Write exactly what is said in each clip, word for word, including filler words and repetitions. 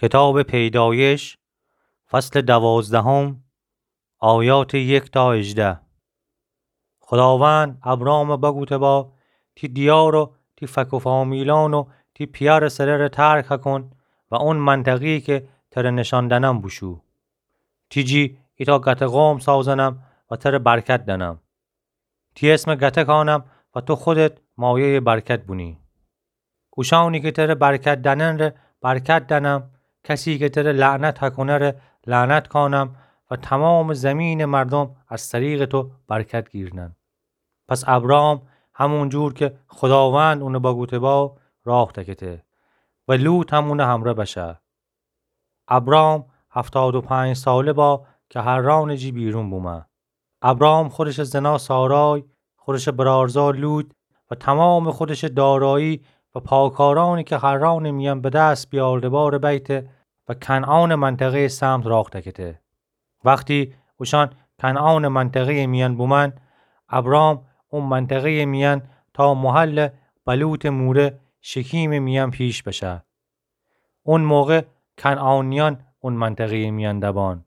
کتابٚ پیدایش، فصلٚ دوازدهم، آیاتٚ یک تا هجده. خوداوند ابرامَ بگوته با: تی دیار و تی فک و فامیلأن و تی پیأرٚ سره‌ره ترک کون و اون منطقه‌یی که تره نشان دأنم بوشو. تی جی ایتأ گته قوم سازأنم و تره برکت دأنم. تی اسمَ گته کانم و تو خودت مایه‌یٚ برکت بونی. اوشأنی که تره برکت دأننٚره برکت دأنم، کسی که تره لعنت کونه‌ره لعنت کانم و تومامٚ زیمینٚ مردوم از طریقٚ تو برکت گیرنن. پس ابرام همون جور که خوداوند اونَ بگوته با راه دکته و لوط هم اونٚ همرأ بشه. ابرام هفتاد و پنج ساله با که حرانٚ جی بیرون بومه. ابرام خودشٚ زنا سارای، خودشٚ برارزا لوط و تومامٚ خودشٚ دارایی و پاکارأنی که حرانٚ میأن به دس بیارده باره بیته و کنعانٚ منطقه‌یٚ سمت راه دکته. وختی اوشأن کنعانٚ منطقه‌یٚ میأن بومأن، ابرام او منطقه‌یٚ میأن تا محلٚ بلوطٚ موره شکیمٚ میأن پیش بشه. اون موقع کنعانیأن اون منطقه‌یٚ میأن دبان.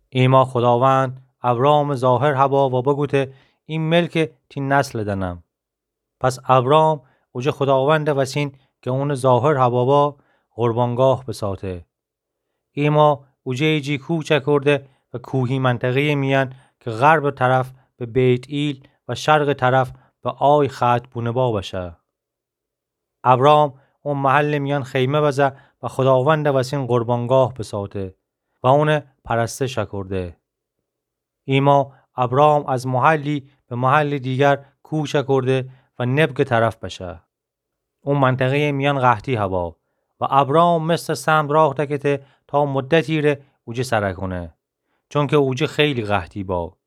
ایما خوداوند ابرامٚ ظاهر هبا و بگوته: ای ملکَ تی نسلَ دأنم. پس ابرام اوجه خوداوندٚ وسین که اونٚ ظاهر هبا با قربانگاه بساته. ایما اوجه جی کوچ کرده و کوهی منطقه‌یٚ میأن که غربٚ طرف به بیت‌ایل و شرقٚ طرف به آی ختم بونه با بشه. ابرام او محلٚ میأن خیمه بزه و خوداوندٚ وسین قربانگاه بساته و اونَ پرستش کرده. ایما ابرام از محلی به محلٚ دیگر کوچ کرده و نبگٚ طرف بشه. او منطقه‌یٚ میأن قحطی هبا و ابرام مصرٚ سمت راه دکته تا مدتی ره اوجه سر کونه، چونکه اوجه خیلی قحطی با.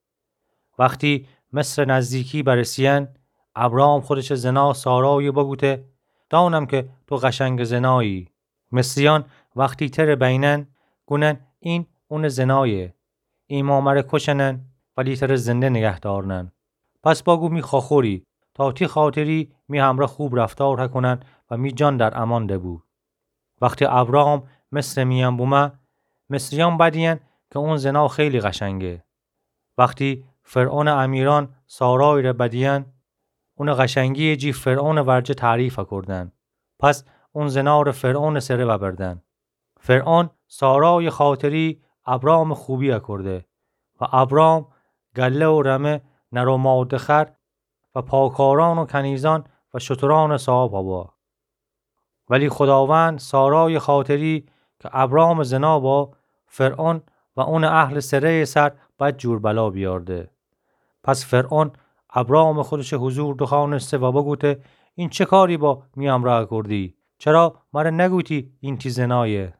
وختی مصرٚ نزدیکی برسیأن، ابرام خودشٚ زنا سارایَ بگوته: دانم که تو قشنگٚ زنایی. مصریأن وختی تره بینن، گونن: این اونٚ زنایه. ایما مره کشنن، ولی تره زنده نگه دارنن. پس بگو می خواخوری، تا تی خاطری می همرأ خوب رفتار کونن و می جان در امان دبو. وختی ابرام مصرٚ میأن بومه، مصریأن بدیأن که اون زنا خیلی قشنگه. وختی فرعونٚ امیرأن سارای ره بدیأن، اونٚ قشنگی‌یٚ جی فرعونٚ ورجه تعریف کردن. پس اون زنا ره فرعونٚ سره ببردن. فرعون سارایٚ خاطری ابرامٚ خوبی کرده و ابرام گله و رمه، نر و ماده خر و پاکارأن و کنیزأن و شترأنٚ صاحب هبا. ولی خوداوند سارایٚ خاطری که ابرامٚ زنا با، فرعون و اونٚ اهلٚ سره‌یٚ سر بدجور بلا بیارده. پس فرعون ابرامٚ خودشٚ حضور دوخوأنسته و بگوته: این چه کاری با می همرأ کردی؟ چرا مره نگوتی این تی زنایه؟